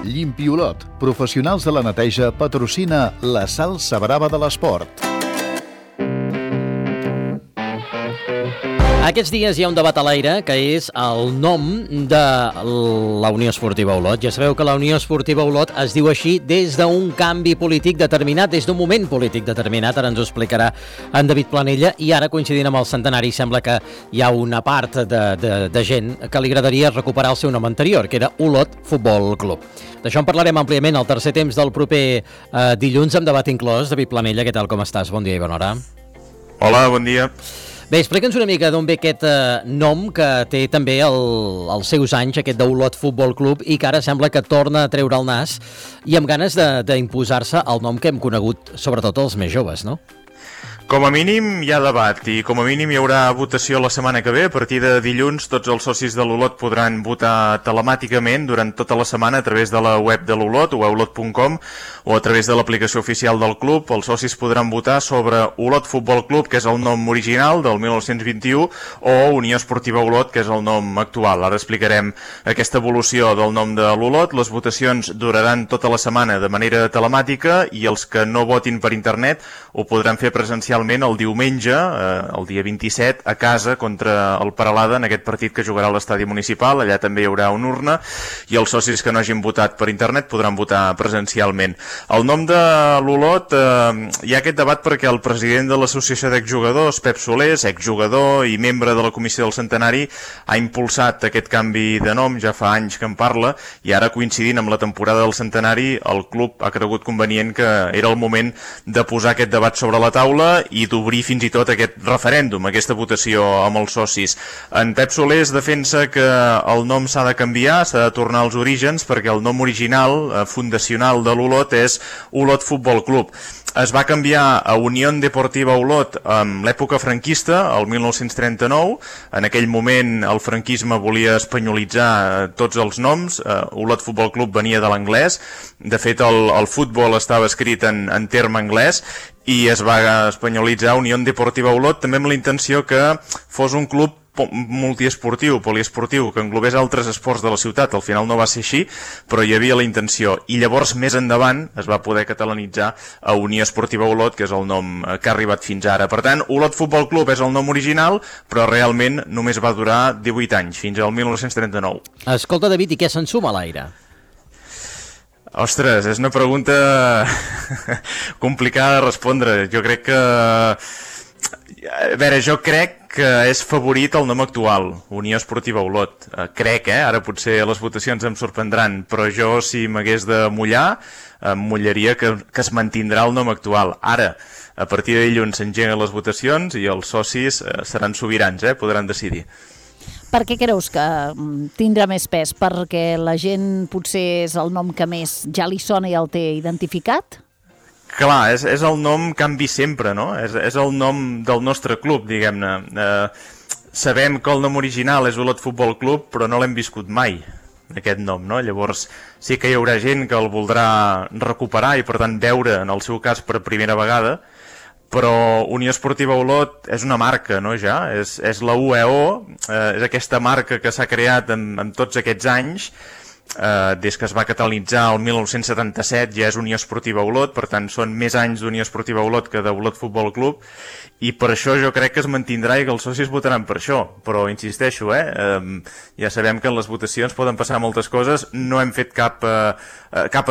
Llimpiolot, professionals de la neteja, patrocina la salsa brava de l'esport. Aquests dies hi ha un debat a l'aire que és el nom de la Unió Esportiva Olot. Ja sabeu que la Unió Esportiva Olot es diu així des d'un canvi polític determinat, des d'un moment polític determinat. Ara ens ho explicarà en David Planella. I ara, coincidint amb el centenari, sembla que hi ha una part de gent que li agradaria recuperar el seu nom anterior, que era Olot Futbol Club. D'això en parlarem àmpliament al tercer temps del proper dilluns, amb debat inclòs. David Planella, què tal, com estàs? Bon dia i bona hora. Hola, bon dia. Bé, explica'ns una mica d'on ve aquest nom que té també els seus anys, aquest d'Olot Futbol Club, i que ara sembla que torna a treure el nas i amb ganes d'imposar-se el nom que hem conegut, sobretot els més joves, no? Com a mínim hi ha debat i com a mínim hi haurà votació la setmana que ve. A partir de dilluns tots els socis de l'Olot podran votar telemàticament durant tota la setmana a través de la web de l'Olot, olot.com, o a través de l'aplicació oficial del club. Els socis podran votar sobre Olot Futbol Club, que és el nom original del 1921, o Unió Esportiva Olot, que és el nom actual. Ara explicarem aquesta evolució del nom de l'Olot. Les votacions duraran tota la setmana de manera telemàtica i els que no votin per internet ho podran fer presencialment el diumenge, el dia 27, a casa contra el Peralada, en aquest partit que jugarà a l'estadi municipal. Allà també hi haurà una urna i els socis que no hagin votat per internet podran votar presencialment. El nom de l'Olot, hi ha aquest debat perquè el president de l'Associació d'Exjugadors, Pep Solés, exjugador i membre de la Comissió del Centenari, ha impulsat aquest canvi de nom, ja fa anys que en parla, i ara, coincidint amb la temporada del Centenari, el club ha cregut convenient que era el moment de posar aquest debat sobre la taula i d'obrir fins i tot aquest referèndum, aquesta votació amb els socis. En Pep Solés defensa que el nom s'ha de canviar, s'ha de tornar als orígens, perquè el nom original, fundacional de l'Olot, és Olot Futbol Club. Es va canviar a Unió Deportiva Olot en l'època franquista, el 1939. En aquell moment el franquisme volia espanyolitzar tots els noms. Olot Futbol Club venia de l'anglès. De fet, el futbol estava escrit en terme anglès i es va espanyolitzar Unió Deportiva Olot, també amb la intenció que fos un club multiesportiu, poliesportiu, que englobés altres esports de la ciutat. Al final no va ser així, però hi havia la intenció. I llavors, més endavant, es va poder catalanitzar a Unió Esportiva Olot, que és el nom que ha arribat fins ara. Per tant, Olot Futbol Club és el nom original, però realment només va durar 18 anys, fins al 1939. Escolta, David, i què se'n suma a l'aire? Ostres, és una pregunta complicada de respondre. Jo crec que... A veure, jo crec que és favorit el nom actual, Unió Esportiva Olot. Crec, ara potser les votacions em sorprendran, però jo, si m'hagués de mullar, em mullaria que es mantindrà el nom actual. Ara, a partir de dilluns s'engeguen les votacions i els socis seran sobirans, podran decidir. Per què creus que tindrà més pes? Perquè la gent potser és el nom que més ja li sona i el té identificat? Clar, és el nom canvi sempre, no? És el nom del nostre club, diguem-ne. Sabem que el nom original és Olot Futbol Club, però no l'hem viscut mai, aquest nom, no? Llavors sí que hi haurà gent que el voldrà recuperar i, per tant, veure, en el seu cas, per primera vegada, però Unió Esportiva Olot és una marca, no, ja? És la UEO, és aquesta marca que s'ha creat en tots aquests anys. Des que es va catalanitzar el 1977 ja és Unió Esportiva Olot, per tant són més anys d'Unió Esportiva Olot que d'Olot Futbol Club, i per això jo crec que es mantindrà i que els socis votaran per això. Però insisteixo, ja sabem que en les votacions poden passar moltes coses. No hem fet cap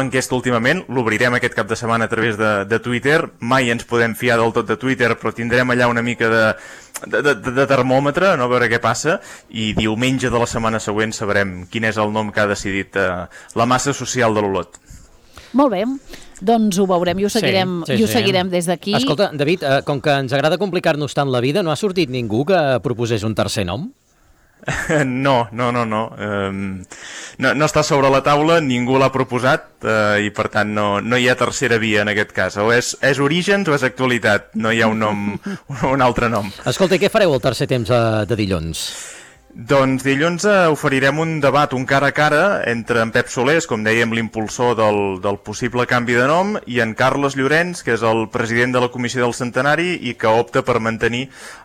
enquesta últimament, l'obrirem aquest cap de setmana a través de Twitter. Mai ens podem fiar del tot de Twitter, però tindrem allà una mica de termòmetre, no? A veure què passa, i diumenge de la setmana següent sabrem quin és el nom que ha decidit la massa social de l'Olot. Molt bé, doncs ho veurem i ho seguirem des d'aquí. Escolta, David, com que ens agrada complicar-nos tant la vida, no ha sortit ningú que proposés un tercer nom? No. No està sobre la taula, ningú l'ha proposat i per tant no hi ha tercera via en aquest cas. O és Orígens o és Actualitat, no hi ha un altre nom. Escolta, què fareu el tercer temps de dilluns? Doncs dilluns oferirem un debat, un cara a cara, entre en Pep Solés, com dèiem, l'impulsor del possible canvi de nom, i en Carles Llorenç, que és el president de la Comissió del Centenari i que opta per mantenir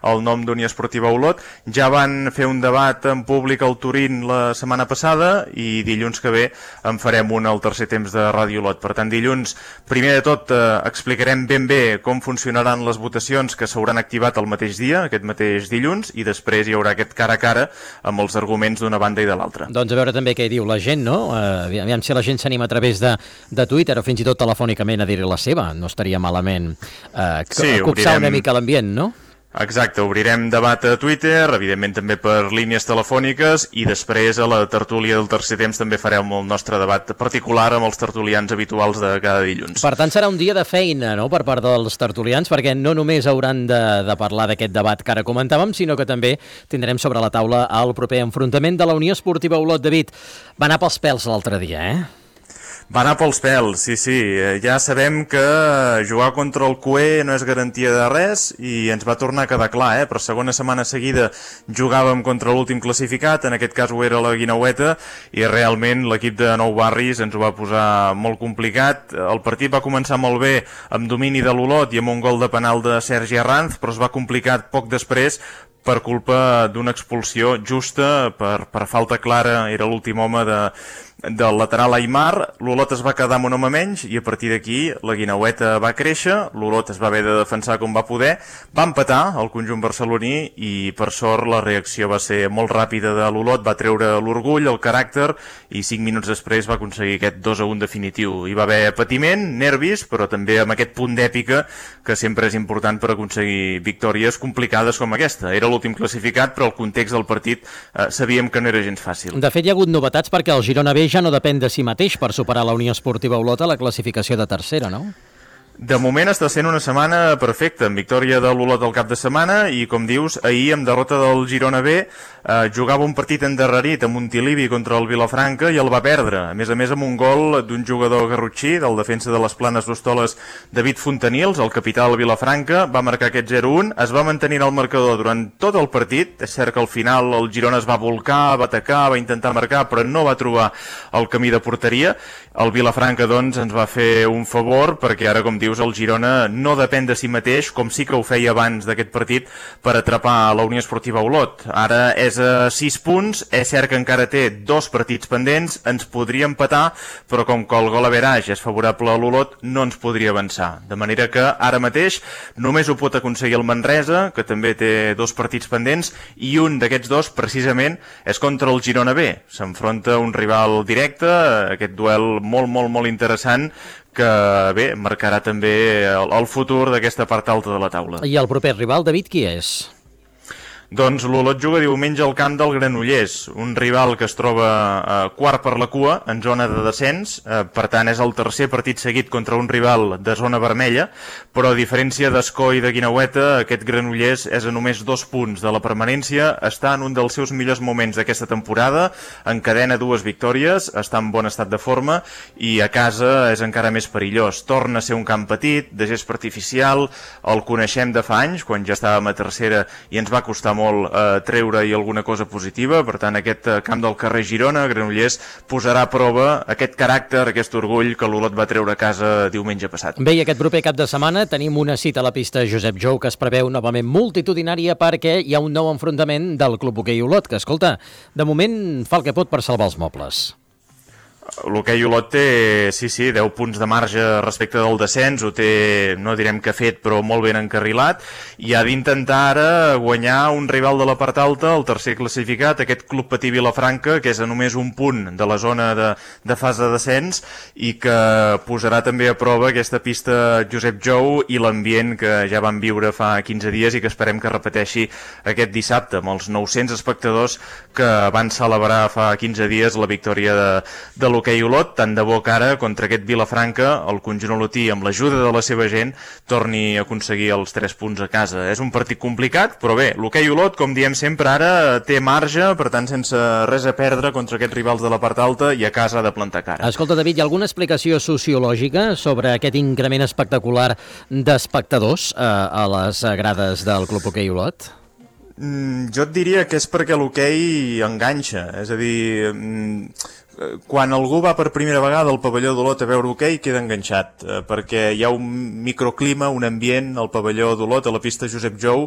el nom d'Unió Esportiva Olot. Ja van fer un debat en públic al Turín la setmana passada i dilluns que ve en farem un al tercer temps de Ràdio Olot. Per tant, dilluns, primer de tot, explicarem ben bé com funcionaran les votacions que s'hauran activat el mateix dia, aquest mateix dilluns, i després hi haurà aquest cara a cara amb els arguments d'una banda i de l'altra. Doncs a veure també què diu la gent, no? Aviam si la gent s'anima a través de Twitter o fins i tot telefònicament a dir-hi la seva. No estaria malament copsar una mica l'ambient, no? Exacte, obrirem debat a Twitter, evidentment també per línies telefòniques, i després a la tertúlia del tercer temps també farem el nostre debat particular amb els tertulians habituals de cada dilluns. Per tant, serà un dia de feina, no?, per part dels tertulians, perquè no només hauran de parlar d'aquest debat que ara comentàvem, sinó que també tindrem sobre la taula el proper enfrontament de la Unió Esportiva Olot. David, va anar pels pèls l'altre dia, Va anar pels pèls, sí. Ja sabem que jugar contra el CUE no és garantia de res i ens va tornar a quedar clar, Per segona setmana seguida jugàvem contra l'últim classificat, en aquest cas ho era la Guineueta, i realment l'equip de Nou Barris ens ho va posar molt complicat. El partit va començar molt bé amb domini de l'Olot i amb un gol de penal de Sergi Arranz, però es va complicar poc després per culpa d'una expulsió justa, per falta clara, era l'últim home del lateral Aimar. L'Olot es va quedar amb un home menys i a partir d'aquí la Guineueta va créixer, l'Olot es va haver de defensar com va poder, va empatar el conjunt barceloní i per sort la reacció va ser molt ràpida de l'Olot, va treure l'orgull, el caràcter, i 5 minuts després va aconseguir aquest 2-1 definitiu. Hi va haver patiment, nervis, però també amb aquest punt d'èpica que sempre és important per aconseguir victòries complicades com aquesta. Era l'últim classificat, però el context del partit sabíem que no era gens fàcil. De fet, hi ha hagut novetats perquè el Girona B ja no depèn de si mateix per superar la Unió Esportiva Olot a la classificació de tercera, no? De moment està sent una setmana perfecta, amb victòria de l'Olot al cap de setmana i, com dius, ahir amb derrota del Girona B jugava un partit endarrerit a Montilivi contra el Vilafranca i el va perdre, a més amb un gol d'un jugador garrotxí, del defensa de les Planes d'Hostoles, David Fontanils, el capità del Vilafranca, va marcar aquest 0-1, es va mantenir el marcador durant tot el partit. És cert que al final el Girona es va volcar, va atacar, va intentar marcar, però no va trobar el camí de porteria. El Vilafranca, doncs, ens va fer un favor, perquè ara, com dius, el Girona no depèn de si mateix, com sí que ho feia abans d'aquest partit, per atrapar la Unió Esportiva Olot. Ara és a 6 punts, és cert que encara té 2 partits pendents, ens podria empatar, però com que el gol average és favorable a l'Olot, no ens podria avançar. De manera que ara mateix només ho pot aconseguir el Manresa, que també té 2 partits pendents, i un d'aquests 2, precisament, és contra el Girona B. S'enfronta un rival directe, aquest duel molt interessant, que bé, marcarà també el futur d'aquesta part alta de la taula. I el proper rival, David, qui és? Doncs l'Olot juga diumenge al camp del Granollers, un rival que es troba quart per la cua, en zona de descens, per tant és el tercer partit seguit contra un rival de zona vermella, però a diferència d'Escó i de Guineueta, aquest Granollers és a només 2 punts de la permanència, està en un dels seus millors moments d'aquesta temporada, encadena 2 victòries, està en bon estat de forma i a casa és encara més perillós. Torna a ser un camp petit, de gespa artificial, el coneixem de fa anys, quan ja estàvem a tercera i ens va costar molt treure-hi alguna cosa positiva. Per tant, aquest camp del carrer Girona, Granollers, posarà a prova aquest caràcter, aquest orgull que l'Olot va treure a casa diumenge passat. Bé, i aquest proper cap de setmana tenim una cita a la pista Josep Jou que es preveu novament multitudinària perquè hi ha un nou enfrontament del Club Hoquei Olot, que, escolta, de moment fa el que pot per salvar els mobles. L'Hoquei Olot té, sí, 10 punts de marge respecte del descens, ho té, no direm que fet, però molt ben encarrilat, i ha d'intentar ara guanyar un rival de la part alta, el tercer classificat, aquest Club Patí Vilafranca, que és a només un punt de la zona de fase de descens, i que posarà també a prova aquesta pista Josep Jou i l'ambient que ja vam viure fa 15 dies i que esperem que repeteixi aquest dissabte, amb els 900 espectadors que van celebrar fa 15 dies la victòria de l'Hoquei Olot. Tant de bo que ara, contra aquest Vilafranca, el conjunt olotí, amb l'ajuda de la seva gent, torni a aconseguir els 3 punts a casa. És un partit complicat, però bé, l'Hoquei Olot, com diem sempre, ara té marge, per tant, sense res a perdre contra aquests rivals de la part alta, i a casa ha de plantar cara. Escolta, David, hi ha alguna explicació sociològica sobre aquest increment espectacular d'espectadors a les grades del Club Hoquei Olot? Jo et diria que és perquè l'hoquei enganxa, és a dir, quan algú va per primera vegada al pavelló d'Olot a veure hoquei queda enganxat, perquè hi ha un microclima, un ambient al pavelló d'Olot, a la pista Josep Jou,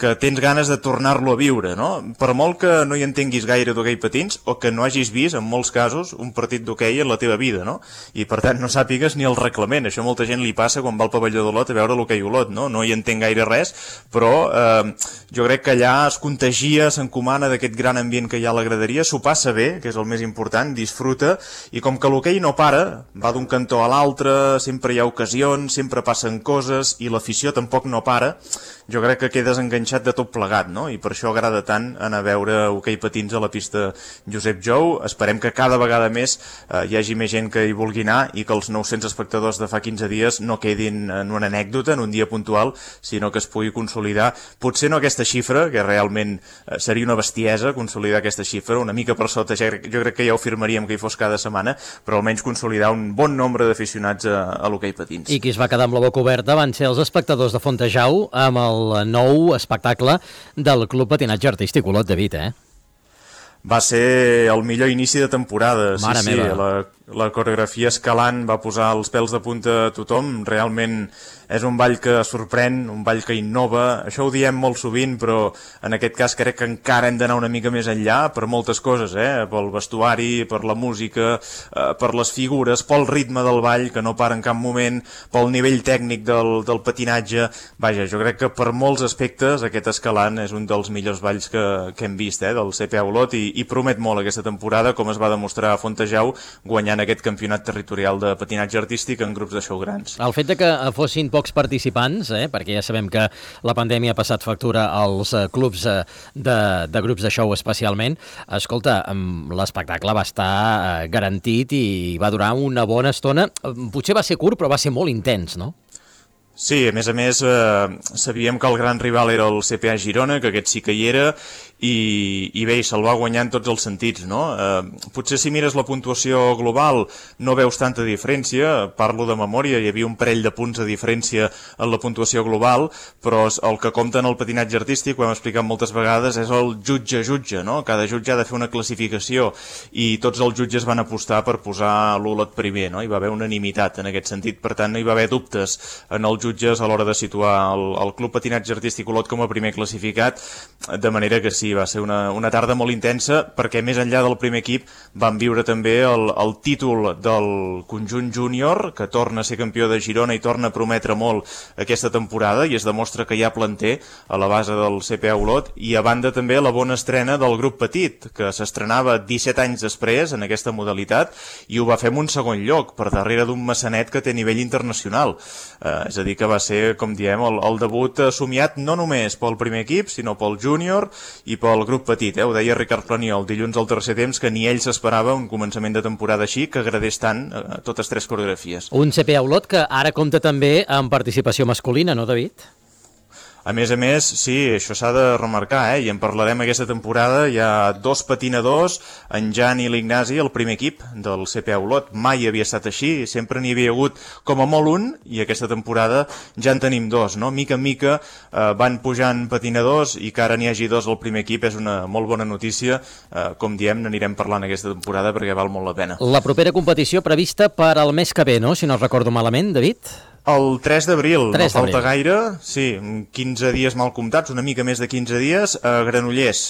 que tens ganes de tornar-lo a viure, no? Per molt que no hi entenguis gaire d'hoquei patins o que no hagis vist, en molts casos, un partit d'hoquei en la teva vida, no? I per tant no sàpigues ni el reglament. Això a molta gent li passa quan va al pavelló d'Olot a veure l'hoquei Olot, no? No hi entenc gaire res, però jo crec que allà es contagia, s'encomana d'aquest gran ambient que hi ha a la graderia, s'ho passa bé, que és el més important, disfruta, i com que l'hoquei no para, va d'un cantó a l'altre, sempre hi ha ocasions, sempre passen coses, i l'afició tampoc no para, jo crec que quedes enganxat de tot plegat, no? I per això agrada tant anar a veure hoquei patins a la pista Josep Jou. Esperem que cada vegada més hi hagi més gent que hi vulgui anar i que els 900 espectadors de fa 15 dies no quedin en una anècdota, en un dia puntual, sinó que es pugui consolidar. Potser no aquesta xifra, que realment seria una bestiesa consolidar aquesta xifra, una mica per sota, jo crec que ja ho firmaríem que hi fos cada setmana, però almenys consolidar un bon nombre d'aficionats a l'hoquei patins. I qui es va quedar amb la boca oberta van ser els espectadors de Fontejau amb el nou espectacle del Club Patinatge Artístic Olot, David, Va ser el millor inici de temporada. Mare meva. La coreografia escalant va posar els pèls de punta a tothom. Realment és un ball que sorprèn, un ball que innova. Això ho diem molt sovint, però en aquest cas crec que encara hem d'anar una mica més enllà per moltes coses, pel vestuari, per la música, per les figures, pel ritme del ball, que no para en cap moment, pel nivell tècnic del patinatge. Vaja, jo crec que per molts aspectes aquest escalant és un dels millors balls que hem vist del CPA Olot i promet molt aquesta temporada, com es va demostrar a Fontejau, guanyant aquest campionat territorial de patinatge artístic en grups de show grans. El fet de que fossin pocs participants, perquè ja sabem que la pandèmia ha passat factura als clubs de grups de show especialment, escolta, l'espectacle va estar garantit i va durar una bona estona. Potser va ser curt, però va ser molt intens, no? Sí, a més, sabíem que el gran rival era el CPA Girona, que aquest sí que hi era, i bé, se'l va guanyar en tots els sentits, no? Potser si mires la puntuació global no veus tanta diferència, parlo de memòria, hi havia un parell de punts de diferència en la puntuació global, però el que compta en el patinatge artístic, ho hem explicat moltes vegades, és el jutge, no? Cada jutge ha de fer una classificació i tots els jutges van apostar per posar l'Olot primer, no? Hi va haver unanimitat en aquest sentit, per tant no hi va haver dubtes en els jutges a l'hora de situar el Club Patinatge Artístic Olot com a primer classificat, de manera que sí, va ser una tarda molt intensa, perquè més enllà del primer equip van viure també el títol del conjunt júnior, que torna a ser campió de Girona i torna a prometre molt aquesta temporada, i es demostra que hi ha planter a la base del CPA Olot, i a banda també la bona estrena del grup petit, que s'estrenava 17 anys després en aquesta modalitat, i ho va fer en un segon lloc, per darrere d'un maçanet que té nivell internacional. És a dir, que va ser, com diem, el debut somiat no només pel primer equip, sinó pel júnior i pel grup petit. Ho deia Ricard Planiol dilluns al tercer temps, que ni ell s'esperava un començament de temporada així, que agradés tant totes tres coreografies. Un CPA Olot que ara compta també amb participació masculina, no, David? A més, sí, això s'ha de remarcar, i en parlarem aquesta temporada. Hi ha 2 patinadors, en Jan i l'Ignasi, el primer equip del CPA Olot. Mai havia estat així, sempre n'hi havia hagut com a molt un, i aquesta temporada ja en tenim 2, no? Mica en mica van pujant patinadors, i que ara n'hi hagi 2 al primer equip és una molt bona notícia. Com diem, n'anirem parlant aquesta temporada perquè val molt la pena. La propera competició prevista per al mes que ve, no? Si no recordo malament, David? El 3 d'abril, no falta gaire, sí, 15 dies mal comptats, una mica més de 15 dies, a Granollers,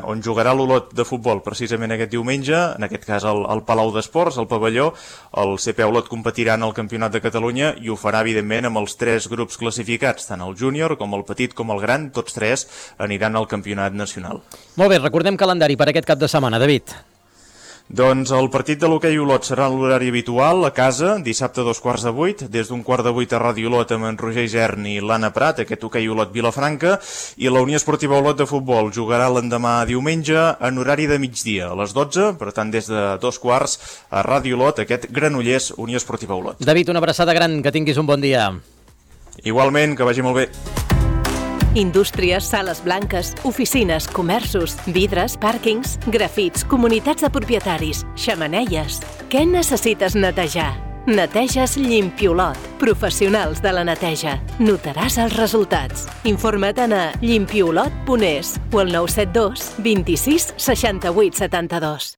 on jugarà l'Olot de futbol precisament aquest diumenge, en aquest cas al Palau d'Esports, al pavelló. El CPA Olot competirà en el Campionat de Catalunya i ho farà, evidentment, amb els 3 grups classificats, tant el júnior com el petit com el gran, tots 3 aniran al Campionat Nacional. Molt bé, recordem calendari per aquest cap de setmana, David. Doncs el partit de l'hoquei Olot serà en l'horari habitual, a casa, dissabte a 7:15, des d'un 7:15 a Ràdio Olot amb en Roger Isern i l'Anna Prat, aquest hoquei Olot Vilafranca, i la Unió Esportiva Olot de Futbol jugarà l'endemà diumenge en horari de migdia, a les 12, per tant des de 2:15 a Ràdio Olot, aquest Granollers Unió Esportiva Olot. David, una abraçada gran, que tinguis un bon dia. Igualment, que vagi molt bé. Indústries, sales blanques, oficines, comerços, vidres, pàrquings, grafits, comunitats de propietaris, xemeneies. Què necessites netejar? Neteges Llimpiolot. Professionals de la neteja. Notaràs els resultats. Informa't a llimpiolot.es o al 972 26 68 72.